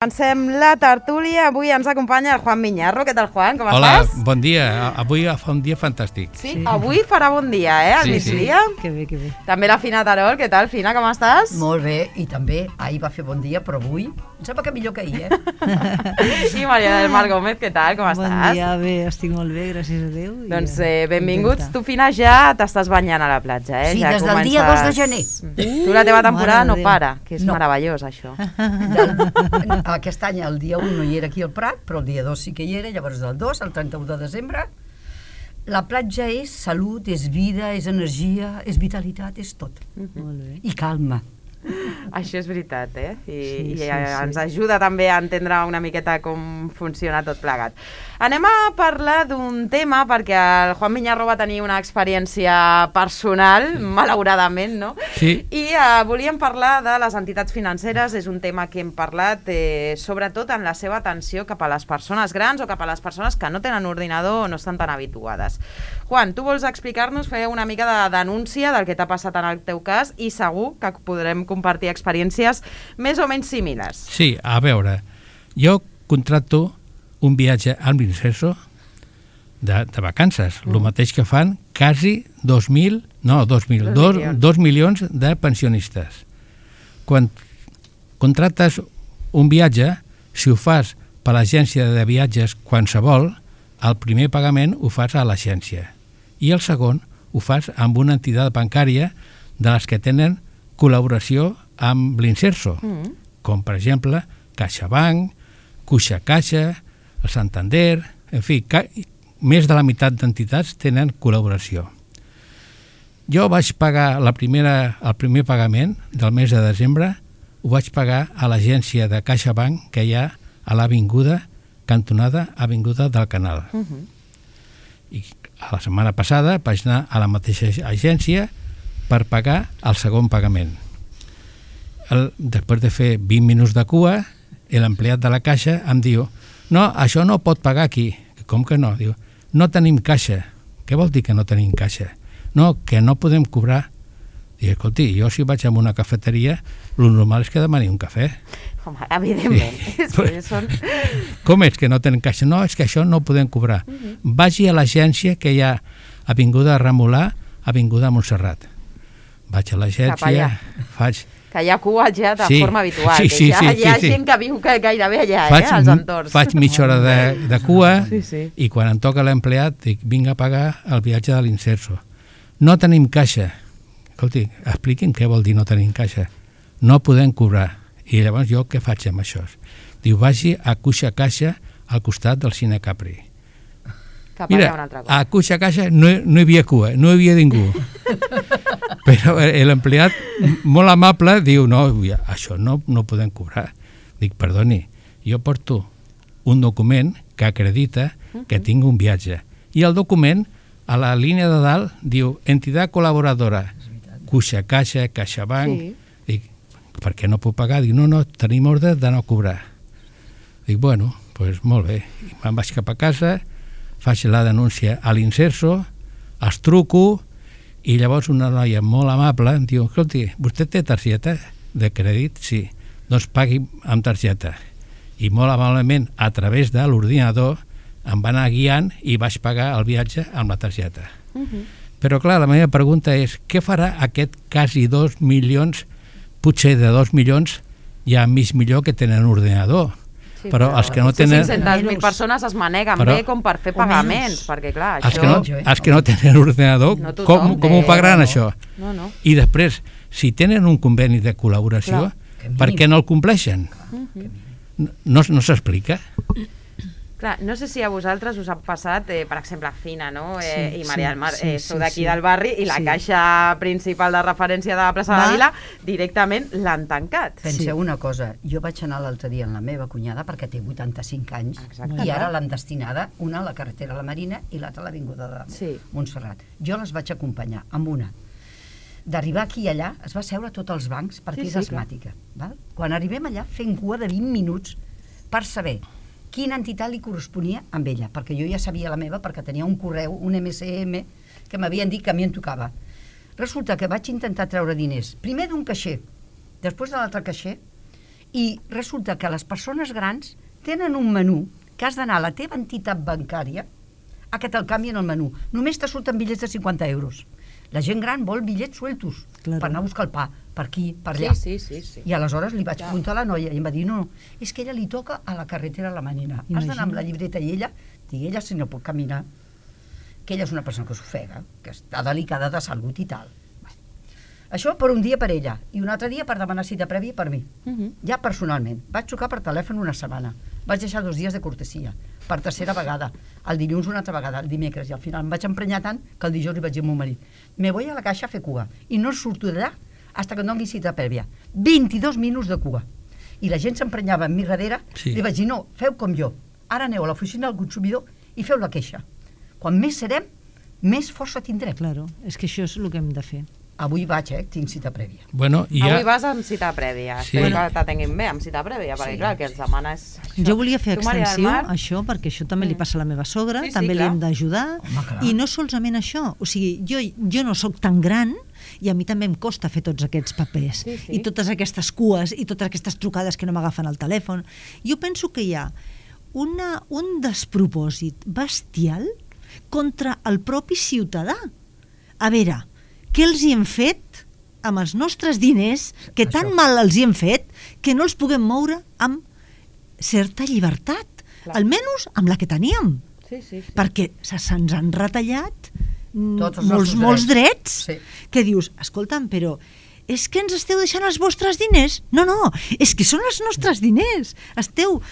Comencem la tertúlia. Avui ens acompanya el Juan Miñarro. Què tal, Juan? Com estàs? Hola, bon dia. Avui fa un dia fantàstic. Sí, avui farà bon dia, al migdia. Que bé, que bé. També la Fina Terol. Què tal, Fina? Com estàs? Molt bé, i també ahir va fer bon dia, però avui em sembla que millor que ahir, I Maria del Mar Gómez, què tal? Com estàs? Bon dia, bé, estic molt bé, gràcies a Déu. Doncs benvinguts. Tu, Fina, ja t'estàs banyant a la platja, Sí, ja des del dia 2 de gener. Tu la teva temporada Mare no de Déu. para, que és No. meravellós, això. Aquest any, el dia 1 no hi era aquí al Prat, però el dia 2 sí que hi era, llavors del 2 al 31 de desembre. La platja és salut, és vida, és energia, és vitalitat, és tot. Molt bé. I calma. Això és veritat, I Sí, ens ajuda també a entendre una miqueta com funciona tot plegat. Anem a parlar d'un tema, perquè el Juan Miñarro va tenir una experiència personal, malauradament, no? Sí. I volíem parlar de les entitats financeres. És un tema que hem parlat sobretot en la seva atenció cap a les persones grans o cap a les persones que no tenen ordinador o no estan tan habituades. Juan, tu vols explicar-nos, fer una mica de denúncia del que t'ha passat en el teu cas i segur que podrem compartir experiències més o menys similars. Sí, a veure, jo contracto un viatge al Vincenzo de vacances, el mateix que fan quasi 2 milions de pensionistes. Quan contractes un viatge, si ho fas per l'agència de viatges qualsevol, el primer pagament ho fas a l'agència i el segon ho fas amb una entitat bancària de les que tenen col·laboració amb l'Inserso, com per exemple CaixaBank, Caixa, el Santander, en fi, més de la meitat d'entitats tenen col·laboració. Jo vaig pagar el primer pagament del mes de desembre, ho vaig pagar a l'agència de CaixaBank que hi ha a l'avinguda cantonada Avinguda del Canal. I a la setmana passada vaig anar a la mateixa agència per pagar el segon pagament. Després de fer 20 minuts de cua, l'empleat de la caixa em diu: no, això no pot pagar aquí. Com que no? Diu, no tenim caixa. Què vol dir que no tenim caixa? No, que no podem cobrar. Dic, escolti, jo si vaig a una cafeteria, el normal és que demani un cafè. Home, evidentment. Sí. Com és que no tenen caixa? No, és que això no ho podem cobrar. Vagi a l'agència que hi ha Avinguda Remolà, Avinguda Montserrat. Vaig a l'agència, faig... Que hi ha cua ja de forma habitual, sí, que hi ha gent que viu gairebé allà, als entorns. Faig mitja hora de cua sí. I quan em toca l'empleat dic, vinc a pagar el viatge de l'Inserso. No tenim caixa. Escolti, expliqui'm què vol dir no tenim caixa. No podem cobrar. I llavors jo què faig amb això? Diu, vagi a Caixa al costat del Cine Capri. Mira, a Caixa no hi havia cua, no hi havia ningú. Però l'empleat, molt amable, diu, no, això no podem cobrar. Dic, perdoni, jo porto un document que acredita que tinc un viatge. I el document, a la línia de dalt, diu, entitat col·laboradora, Caixa, CaixaBank. Sí. Dic, per què no puc pagar? Dic, no, tenim ordre de no cobrar. Dic, bueno, doncs molt bé. I me'n vaig cap a casa, faig la denúncia a l'Inserso, els truco, i llavors una noia molt amable em diu, escolti, vostè té targeta de crèdit? Sí. Doncs pagui amb targeta. I molt amablement, a través de l'ordinador, em va anar guiant i vaig pagar el viatge amb la targeta. Però clar, la meva pregunta és, què farà aquest quasi 2 milions, potser de 2 milions, ja mig milió que tenen ordinador? Sí, però els que no tenen... 500.000 persones es maneguen bé com per fer pagaments, perquè clar, això... Els que no tenen ordinador, com ho pagaran això? No. I després, si tenen un conveni de col·laboració, per què no el compleixen? No s'explica? Clar, no sé si a vosaltres us ha passat, per exemple, Fina, no? Sí, I Maria del Mar, sou d'aquí sí. del barri i la caixa principal de referència de la plaça de la Vila directament l'han tancat. Penseu una cosa, jo vaig anar l'altre dia amb la meva cunyada perquè té 85 anys. Exacte. I ara l'han destinada, una a la carretera a la Marina i l'altra a l'Avinguda de Montserrat. Jo les vaig acompanyar amb una. D'arribar aquí i allà es va seure a tots els bancs perquè és asmàtica. Val? Quan arribem allà fent cua de 20 minuts per saber quina entitat li corresponia amb ella, perquè jo ja sabia la meva perquè tenia un correu, un MSM, que m'havien dit que a mi em tocava. Resulta que vaig intentar treure diners, primer d'un caixer, després de l'altre caixer, I resulta que les persones grans tenen un menú que has d'anar a la teva entitat bancària a que te'l canvien el menú. Només te surten bitllets de 50 euros. La gent gran vol bitllets sueltos per anar a buscar el pa, per aquí, per allà. Sí. I aleshores li vaig preguntar a la noia i em va dir, no, és que ella li toca a la carretera la Manina. Has d'anar amb la llibreta i ella si no pot caminar, que ella és una persona que s'ofega, que està delicada de salut i tal. Això per un dia per ella i un altre dia per demanar cita prèvia per mi. Ja personalment. Vaig trucar per telèfon una setmana. Vaig deixar 2 dies de cortesia. Per tercera vegada. El dilluns una altra vegada, el dimecres. I al final em vaig emprenyar tant que el dijous li vaig dir al meu marit: me voy a la caixa a fer cua i no surto d'allà hasta que em doni cita prèvia. 22 minuts de cua. I la gent s'emprenyava amb mi darrere. Li vaig dir: no, feu com jo. Ara aneu a l'oficina del consumidor i feu la queixa. Quan més serem, més força tindrem. Claro, és que això és el que hem de fer. Avui vaig, tinc cita prèvia. Bueno, Avui vas amb cita prèvia. Espero que t'atenguin bé amb cita prèvia, perquè clar, el que ens demana és... Jo volia fer extensiu això, perquè això també li passa a la meva sogra, també li hem d'ajudar, i no solament això, o sigui, jo no sóc tan gran i a mi també em costa fer tots aquests papers, i totes aquestes cues, i totes aquestes trucades que no m'agafen el telèfon. Jo penso que hi ha un despropòsit bestial contra el propi ciutadà. A veure, què els hi hem fet amb els nostres diners, que tan mal els hi hem fet, que no els puguem moure amb certa llibertat, almenys amb la que teníem. Perquè se'ns han retallat molts drets, que dius, escolta'm, però és que ens esteu deixant els vostres diners? No, és que són els nostres diners. Esteu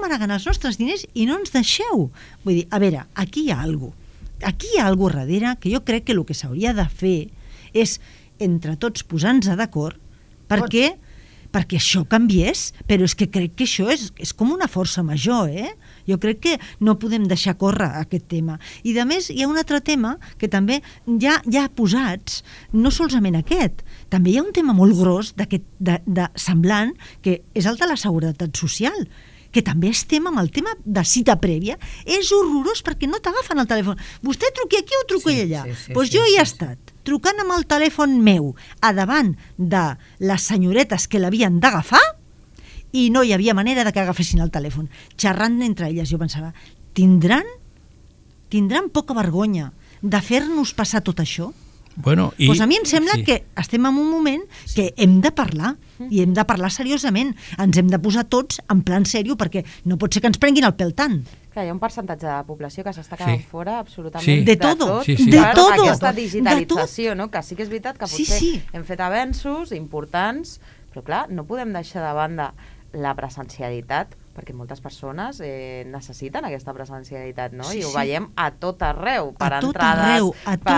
manegant els nostres diners i no ens deixeu. Vull dir, a veure, aquí hi ha alguna cosa. Aquí hi ha alguna cosa darrere que jo crec que el que s'hauria de fer és, entre tots, posar-nos d'acord perquè això canviés, però és que crec que això és com una força major, Jo crec que no podem deixar córrer aquest tema. I, a més, hi ha un altre tema que també ja ha posats, no solament aquest, també hi ha un tema molt gros de semblant, que és el de la seguretat social, que també estem amb el tema de cita prèvia. És horrorós perquè no t'agafen el telèfon. Vostè truqui aquí o truqui allà? Doncs jo hi he estat, trucant amb el telèfon meu a davant de les senyoretes que l'havien d'agafar i no hi havia manera de que agafessin el telèfon. Xerrant entre elles, jo pensava, tindran poca vergonya de fer-nos passar tot això? Doncs a mi em sembla que estem en un moment que hem de parlar, i hem de parlar seriosament. Ens hem de posar tots en plan seriós, perquè no pot ser que ens prenguin el pèl tant. Clar, hi ha un percentatge de població que s'està quedant fora absolutament de tot. Aquesta digitalització, que sí que és veritat que potser hem fet avenços importants, però clar, no podem deixar de banda la presencialitat, perquè moltes persones necessiten aquesta presencialitat, no? I ho veiem a tot arreu, per entrades, per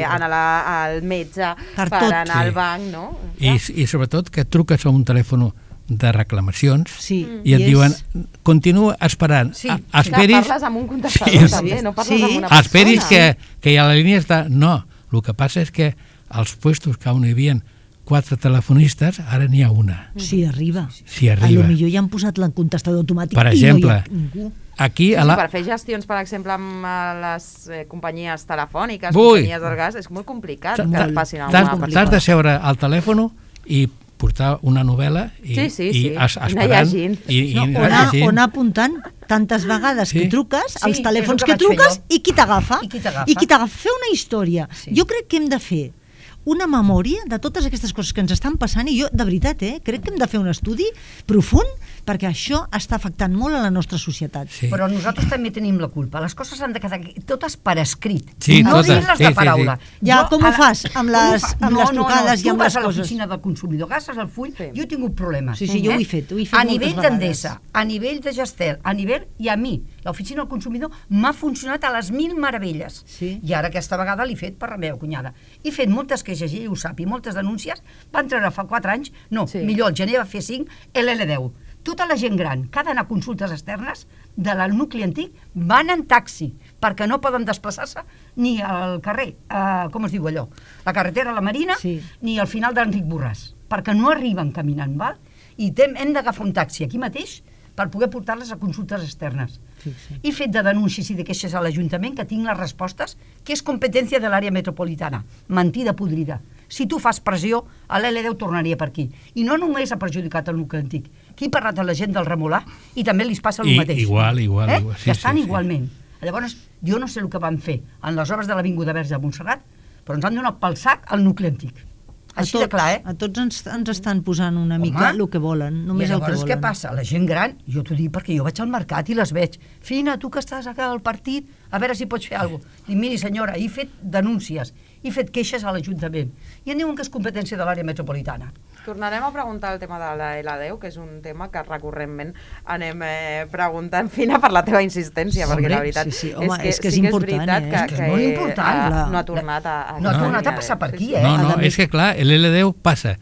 anar al metge, per anar al banc, no? I sobretot que truques a un telèfon de reclamacions i et diuen, continua esperant, esperis... Parles amb un contestador també, no parles amb una persona. Esperis que a la línia està... No, el que passa és que als puestos que on hi havia 4 telefonistes, ara n'hi ha una. Sí, arriba. Sí, arriba. A lo millor ja han posat el contestador automàtic per exemple, i no hi ha ningú. Aquí per fer gestions, per exemple, amb les companyies telefòniques, companyies del gas, és molt complicat que et passin alguna persona. T'has de seure al telèfon i portar una novel·la i esperant i anar apuntant tantes vegades que truques, els telèfons que truques i qui t'agafa. Fer una història. Jo crec que hem de fer una memòria de totes aquestes coses que ens estan passant, i jo, de veritat, crec que hem de fer un estudi profund, perquè això està afectant molt a la nostra societat. Però nosaltres també tenim la culpa. Les coses han de quedar totes per escrit. No dir-les de paraula. Ja, com ho fas amb les trucades i amb les coses? Tu vas a l'oficina del consumidor, agafes el full, jo he tingut problemes. Sí, jo ho he fet a nivell d'Endesa, a nivell de Gestel, a nivell, i a mi, l'oficina del consumidor m'ha funcionat a les 1000 meravelles. I ara aquesta vegada l'he fet per la meva cunyada. He fet moltes queixes, ella ho sap, i moltes denúncies. Van treure fa 4 anys, millor, el gener va fer 5, l'L10. Tota la gent gran que ha d'anar a consultes externes del nucli antic van en taxi, perquè no poden desplaçar-se ni al carrer, com es diu allò, la carretera a la Marina, ni al final d'Enric Borràs, perquè no arriben caminant, val? I hem d'agafar un taxi aquí mateix per poder portar-les a consultes externes. He fet de denúncies i de queixes a l'Ajuntament que tinc les respostes, que és competència de l'àrea metropolitana. Mentida podrida. si tu fas pressió, l'L10 tornaria per aquí. I no només ha perjudicat el nucli antic. Aquí he parlat amb la gent del Remolà i també li passa el mateix. Igual. Que estan igualment. Llavors, jo no sé el que van fer en les obres de l'Avinguda Verge de Montserrat, però ens han donat pel sac el nucli antic. Així de clar, A tots ens estan posant una mica el que volen, només el que volen. I llavors què passa? La gent gran, jo t'ho dic perquè jo vaig al mercat i les veig. Fina, tu que estàs acá al partit, a veure si pots fer alguna cosa. Dic, miri senyora, he fet denúncies, he fet queixes a l'Ajuntament. I em diuen que és competència de l'àrea metropolitana. Tornarem a preguntar el tema de la L10, que és un tema que recurrent anem preguntant, Fina, per la teva insistència, perquè la veritat és que és important, és molt important. No ha tornat a... No ha tornat a passar per aquí, No, és que clar, l'L10 passa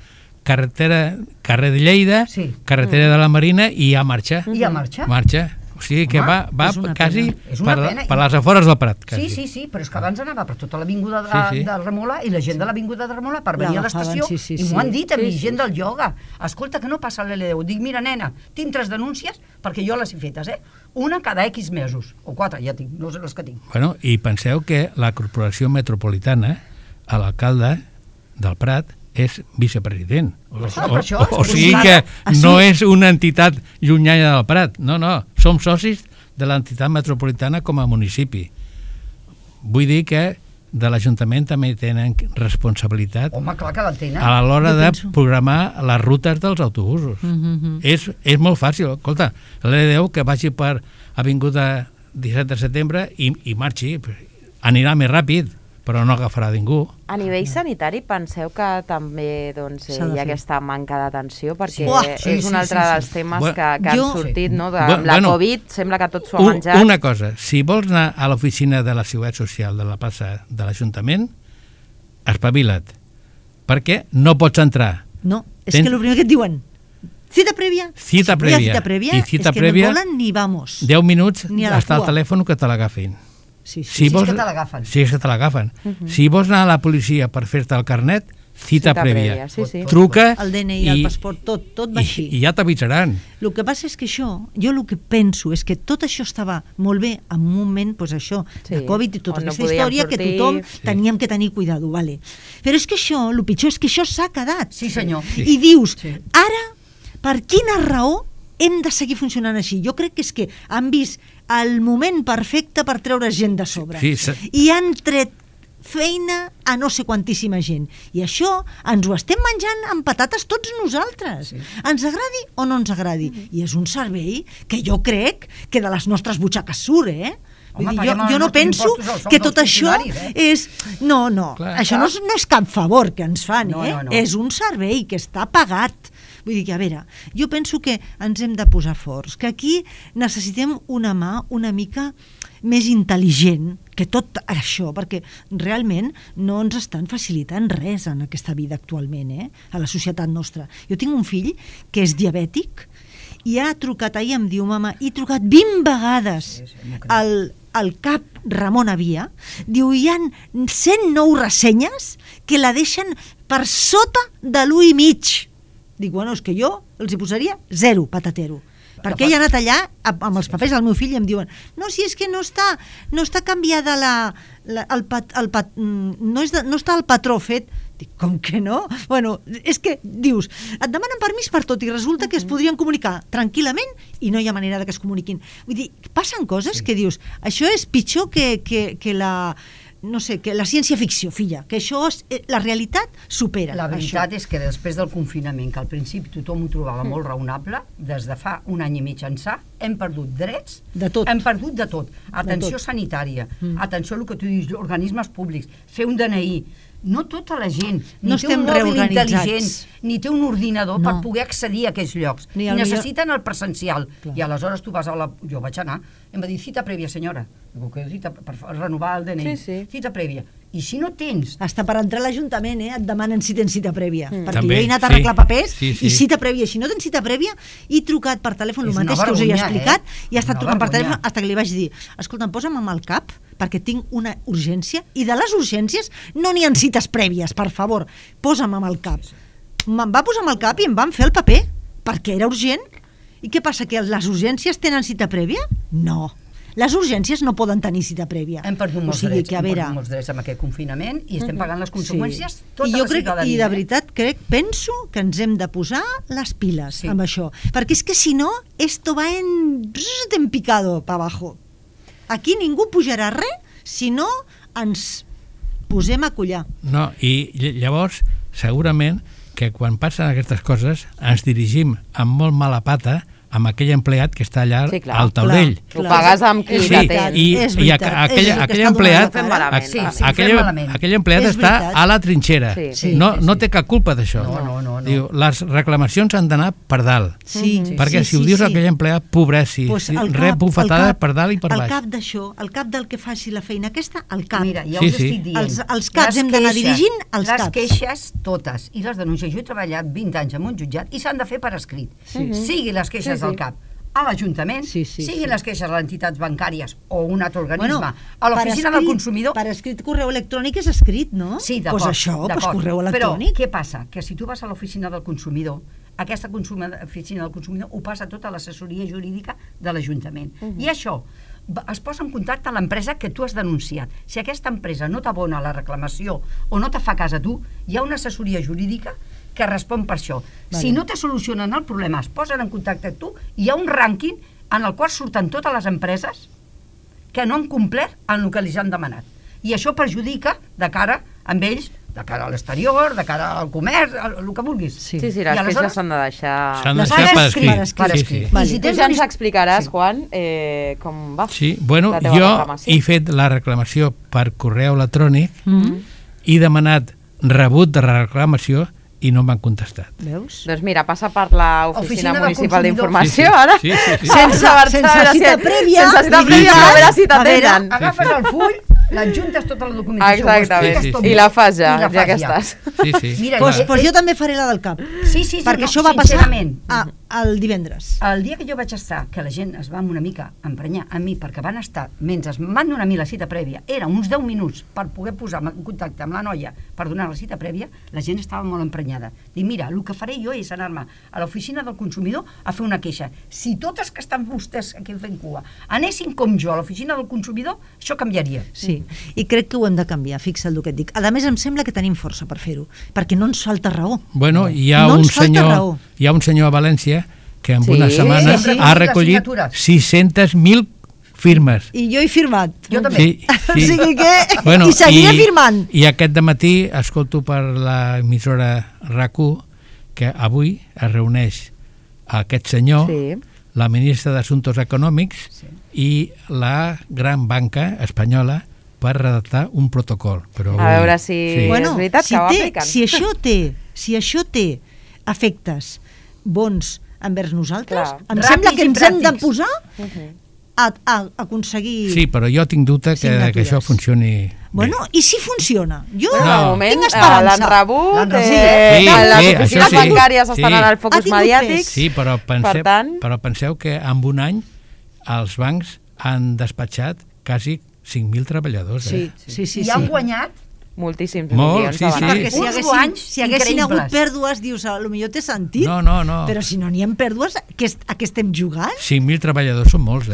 carrer de Lleida, carretera de la Marina i ja marxa. I ja marxa? Marxa. O sigui que va quasi per les afores del Prat. Sí, però és que abans anava per tota l'avinguda del Remolà i la gent de l'avinguda de Remolà per venir a l'estació i m'ho han dit a mi, gent del ioga. Escolta, que no passa l'L10. Dic, mira, nena, tinc 3 denúncies perquè jo les he fetes, una cada X mesos, o 4, ja tinc, no sé les que tinc. Bueno, i penseu que la Corporació Metropolitana, l'alcalde del Prat, és vicepresident. O sigui que no és una entitat llunyana del Prat. No, som socis de l'entitat metropolitana com a municipi. Vull dir que de l'Ajuntament també tenen responsabilitat a l'hora de programar les rutes dels autobusos. És molt fàcil. Escolta, l'L10 que vagi per Avinguda 17 de setembre i marxi, anirà més ràpid, però no agafarà ningú. A nivell sanitari penseu que també hi ha aquesta manca d'atenció, perquè és un altre dels temes que han sortit, no? Amb la Covid sembla que tot s'ho ha menjat. Una cosa, si vols anar a l'oficina de la Seguretat Social de la plaça de l'Ajuntament, espavila't, perquè no pots entrar. No, és que el primer que et diuen, cita prèvia. Cita prèvia. I cita prèvia, és que no volen ni vamos. 10 minuts està al telèfon que te l'agafin. Si és que te l'agafen. Si és que te l'agafen. Si vols anar a la policia per fer-te el carnet, cita prèvia. Truca el DNI, el passaport, tot va així. I ja t'avisaran. El que passa és que jo el que penso és que tot això estava molt bé en un moment, de Covid i tota aquesta història, que tothom teníem que tenir cuidado, vale. Però és que això, el pitjor és que això s'ha quedat. Sí, senyor. I dius, ara, per quina raó hem de seguir funcionant així? Jo crec que és que han vist el moment perfecte per treure gent de sobre. I han tret feina a no sé quantíssima gent. I això ens ho estem menjant amb patates tots nosaltres. Ens agradi o no ens agradi. I és un servei que jo crec que de les nostres butxaques surt, jo no penso que tot això és... No, això no és cap favor que ens fan, és un servei que està pagat. Vull dir que, a veure, jo penso que ens hem de posar forts, que aquí necessitem una mà una mica més intel·ligent que tot això, perquè realment no ens estan facilitant res en aquesta vida actualment, a la societat nostra. Jo tinc un fill que és diabètic i ha trucat, ahir em diu, mama, he trucat 20 vegades al cap Ramon Avia, diu, hi ha 109 ressenyes que la deixen per sota de l'1,5. Dic, bueno, és que jo els hi posaria 0 patatero. Perquè ell ha anat allà amb els papers del meu fill i em diuen, no, si és que no està canviada no està el patró fet. Dic, com que no? Bueno, és que dius, et demanen permís per tot i resulta que es podrien comunicar tranquil·lament i no hi ha manera que es comuniquin. Vull dir, passen coses que dius, això és pitjor que la... no sé, que la ciència-ficció, filla, que això la realitat supera. La veritat és que després del confinament, que al principi tothom ho trobava molt raonable, des de fa un any i mig ençà, hem perdut drets, hem perdut de tot. Atenció sanitària, atenció a el que tu dius, organismes públics, fer un DNI, no tota la gent ni té un mòbil intel·ligent ni té un ordinador per poder accedir a aquells llocs. Necessiten el presencial. I aleshores tu vas a la... Jo vaig anar, em va dir cita prèvia, senyora. Dic, cita per renovar el DNI. Cita prèvia. I si no tens... Hasta per entrar a l'Ajuntament et demanen si tens cita prèvia. Perquè jo he anat a arreglar papers i cita prèvia. Si no tens cita prèvia, he trucat per telèfon, el mateix que us he explicat, i he estat trucant per telèfon fins que li vaig dir, escolta'm, posa'm amb el cap, perquè tinc una urgència, i de les urgències no n'hi ha cites prèvies, per favor, posa'm amb el cap. Me'n va posar amb el cap i em van fer el paper, perquè era urgent. I què passa, que les urgències tenen cita prèvia? No. Les urgències no poden tenir cita prèvia. Hem perdut molts drets amb aquest confinament i estem pagant les conseqüències tota la ciutadania. I de veritat penso que ens hem de posar les piles amb això, perquè és que si no, esto va en picado para abajo. Aquí ningú pujarà res si no ens posem a collar. No, i llavors, segurament, que quan passen aquestes coses ens dirigim amb molt mala pata amb aquell empleat que està allà al taulell. Ho pagues amb qui t'atén. I aquell empleat està a la trinxera. No té cap culpa d'això. Diu, les reclamacions han d'anar per dalt. Perquè si ho dius a aquell empleat, pobret, rep bufetades per dalt i per baix. Al cap d'això, al cap del que faci la feina aquesta, al cap. Mira, ja us estic dient. Els caps hem d'anar dirigint als caps. Les queixes, totes, i les denúncies. Jo he treballat 20 anys en un jutjat i s'han de fer per escrit. Sigui les queixes del CAP a l'Ajuntament, siguin les queixes a les entitats bancàries o un altre organisme, a l'oficina del consumidor... Per escrit correu electrònic és escrit, no? Sí, d'acord. Doncs això, correu electrònic. Però què passa? Que si tu vas a l'oficina del consumidor, aquesta oficina del consumidor ho passa tota l'assessoria jurídica de l'Ajuntament. I això es posa en contacte amb l'empresa que tu has denunciat. Si aquesta empresa no t'abona la reclamació o no te fa cas a tu, hi ha una assessoria jurídica que respon per això. Si no te solucionen el problema, es posen en contacte amb tu, hi ha un rànquing en el qual surten totes les empreses que no han complert en el que els han demanat. I això perjudica de cara amb ells, de cara a l'exterior, de cara al comerç, el que vulguis. Sí, les queixes s'han de deixar... S'han de deixar per escrit. I si tu ja ens explicaràs, Juan, com va la teva reclamació. Jo he fet la reclamació per correu electrònic, he demanat rebut de reclamació i no m'han contestat. Veus? Doncs mira, passa per l'Oficina Municipal d'Informació, ara, sense cita prèvia, a veure si t'atenen. Agafes el full, l'adjuntes tota la documentació. Exactament, i la fas ja que estàs. Doncs jo també faré la del CAP, perquè això va passar el divendres. El dia que jo vaig estar, que la gent es va una mica emprenyar a mi, perquè van estar, mentre m'han donat a mi la cita prèvia, eren uns 10 minuts per poder posar en contacte amb la noia per donar la cita prèvia, la gent estava molt emprenyada. Dic, mira, el que faré jo és anar-me a l'oficina del consumidor a fer una queixa. Si totes que estan vostès aquí fent cua anessin com jo a l'oficina del consumidor, això canviaria. Sí, i crec que ho hem de canviar, fixa't el que et dic. A més, em sembla que tenim força per fer-ho, perquè no ens falta raó. Bueno, hi ha un senyor a València que en una setmana ha recollit 600.000 firmes. I jo he firmat. Jo també. O sigui que... I seguiré firmant. I aquest dematí escolto per l'emissora RAC1 que avui es reuneix aquest senyor, la ministra d'Assumptes Econòmics i la gran banca espanyola per redactar un protocol. A veure si és veritat que ho apliquen. Si això té efectes bons envers nosaltres, em sembla que ens hem de posar a aconseguir... Sí, però jo tinc dubte que això funcioni bé. Bueno, i si funciona? Jo tinc esperança. L'han rebut, les oficines bancàries estan en el focus mediàtic. Sí, però penseu que en un any els bancs han despatxat quasi 5.000 treballadors. I han guanyat moltíssims milions. Perquè si haguessin hagut pèrdues, dius, potser té sentit. No. Però si no n'hi ha pèrdues, a què estem jugant? 5.000 treballadors són molts,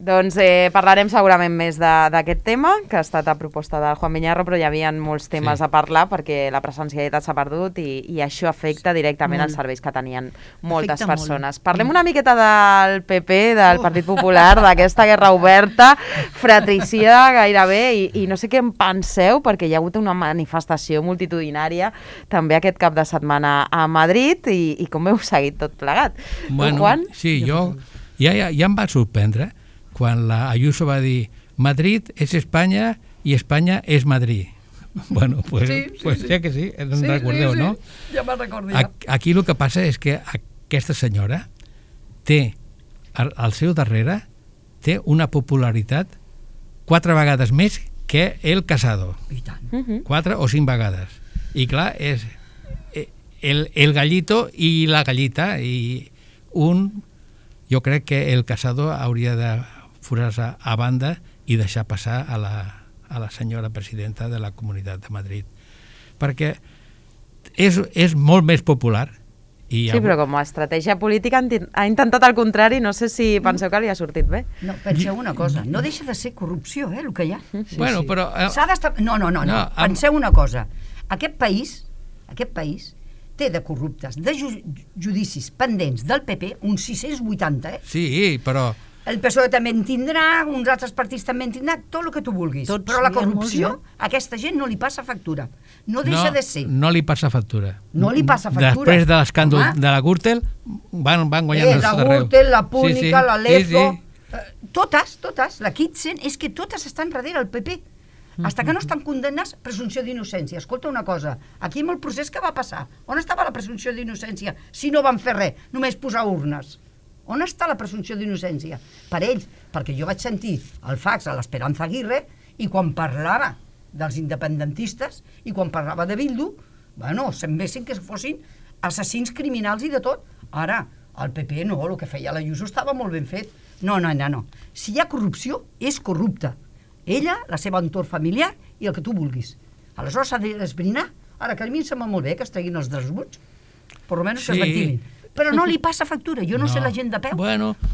Doncs parlarem segurament més d'aquest tema, que ha estat a proposta del Juan Viñarro, però hi havia molts temes a parlar perquè la presencialitat s'ha perdut i això afecta directament els serveis que tenien moltes persones. Parlem una miqueta del PP, del Partit Popular, d'aquesta guerra oberta, fratricida gairebé, i no sé què en penseu, perquè hi ha hagut una manifestació multitudinària també aquest cap de setmana a Madrid, i com heu seguit tot plegat? Bueno, sí, jo ja em va sorprendre quan la Ayuso va dir Madrid és Espanya i Espanya és Madrid. Bueno, pues ja que sí, en recordeu, no? Ja me'n recordo ja. Aquí el que passa és que aquesta senyora té, al seu darrere, té una popularitat 4 vegades més que el Casado. I tant. 4 o 5 vegades. I clar, és el gallito i la gallita, i jo crec que el Casado hauria de posar-se a banda i deixar passar a la senyora presidenta de la Comunitat de Madrid, perquè és molt més popular Sí, però com a estratègia política ha intentat el contrari, no sé si penseu que li ha sortit bé. No, penseu una cosa, no deixa de ser corrupció, el que hi ha. Bueno, però... S'ha d'estar... No, penseu una cosa, aquest país té de corruptes, de judicis pendents del PP, uns 680, Sí, però... El PSOE també en tindrà, uns altres partits també en tindrà, tot el que tu vulguis. Però la corrupció, a aquesta gent no li passa factura. No deixa de ser. No li passa factura. No li passa factura. Després de l'escàndol de la Gürtel, van guanyant els arreu. La Gürtel, la Púnica, la Lezo... Totes, la Kitsen, és que totes estan darrere el PP. Hasta que no estan condemnats, presumpció d'innocència. Escolta una cosa, aquí amb el procés que va passar, on estava la presumpció d'innocència si no van fer res, només posar urnes? On està la presumpció d'innocència? Per ells, perquè jo vaig sentir el fax a l'Esperanza Aguirre i quan parlava dels independentistes i quan parlava de Bildu, bueno, semblessin que fossin assassins criminals i de tot. Ara, el PP no, el que feia l'Ayuso estava molt ben fet. No. Si hi ha corrupció, és corrupta. Ella, la seva entorn familiar i el que tu vulguis. Aleshores s'ha d'esbrinar. Ara, que a mi em sembla molt bé que es treguin els desbuts, per almenys que es ventilin. Però no li passa factura. Jo no sé la gent de peu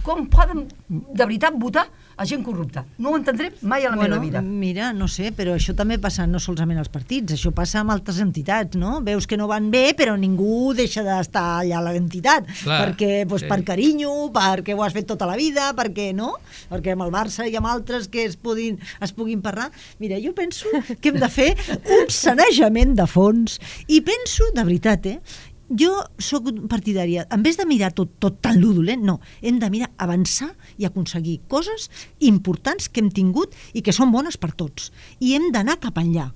com poden de veritat votar a gent corrupta. No ho entendré mai a la meva vida. Mira, no sé, però això també passa no solament als partits, això passa amb altres entitats, no? Veus que no van bé, però ningú deixa d'estar allà a l'entitat, perquè per carinyo, perquè ho has fet tota la vida, perquè no? Perquè amb el Barça i amb altres que es puguin parlar. Mira, jo penso que hem de fer un sanejament de fons i penso, de veritat, jo sóc partidària, en vez de mirar tot tan dolent, no, hem de mirar avançar i aconseguir coses importants que hem tingut i que són bones per tots, i hem d'anar cap enllà.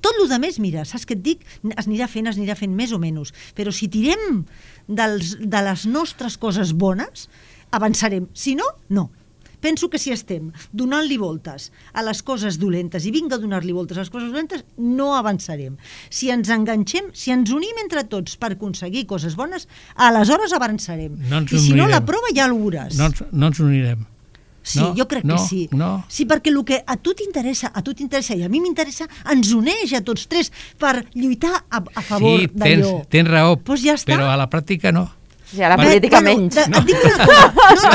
Tot el més, mira, saps què et dic? Es anirà fent més o menys, però si tirem de les nostres coses bones, avançarem, si no, no. Penso que si estem donant-li voltes a les coses dolentes i vinga a donar-li voltes a les coses dolentes, no avançarem. Si ens enganxem, si ens unim entre tots per aconseguir coses bones, aleshores avançarem. I si no, la prova ja ho veuràs. No ens unirem. Sí, jo crec que sí. Sí, perquè el que a tu t'interessa i a mi m'interessa, ens uneix a tots tres per lluitar a favor d'allò. Sí, tens raó, però a la pràctica no. I a la política menys. Et dic una cosa,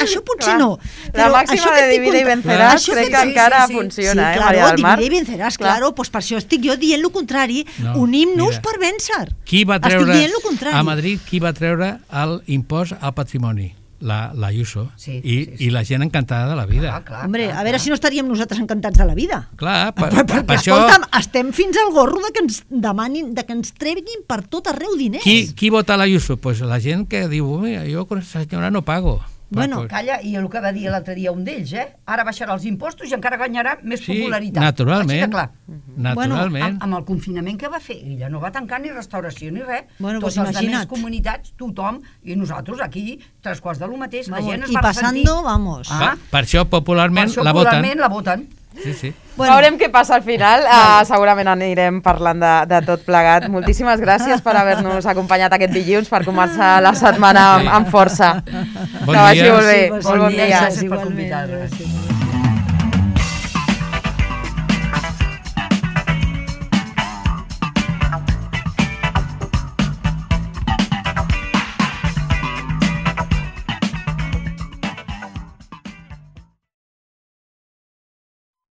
això potser no. La màxima de divide i venceràs crec que encara funciona, Maria del Mar. Divide i venceràs, claro, pues per això estic jo dient el contrari, unim-nos per vèncer. A Madrid, qui va treure l'impost al patrimoni? La Ayuso, i la gent encantada de la vida. Hombre, a veure si no estaríem nosaltres encantats de la vida. Clar, per això... Escolta'm, estem fins al gorro que ens demanin, que ens treguin per tot arreu diners. Qui vota l'Ayuso? Pues la gent que diu, jo con aquesta senyora no pago. Bueno, calla, i el que va dir l'altre dia un d'ells, ara baixarà els impostos i encara guanyarà més popularitat. Naturalment. Naturalment. Amb el confinament que va fer, ella no va tancar ni restauració ni res. Totes les altres comunitats, tothom, i nosaltres aquí, 3/4 de lo mateix, la gent es va ressentir. I passando, vamos. Per això popularment la voten. Sí. Veurem què passa al final. Segurament anirem parlant de tot plegat. Moltíssimes gràcies per haver-nos acompanyat aquest dilluns per començar la setmana amb força. Bon dia. Que vagi molt bé. Molt bon dia. Gràcies per convidar-nos.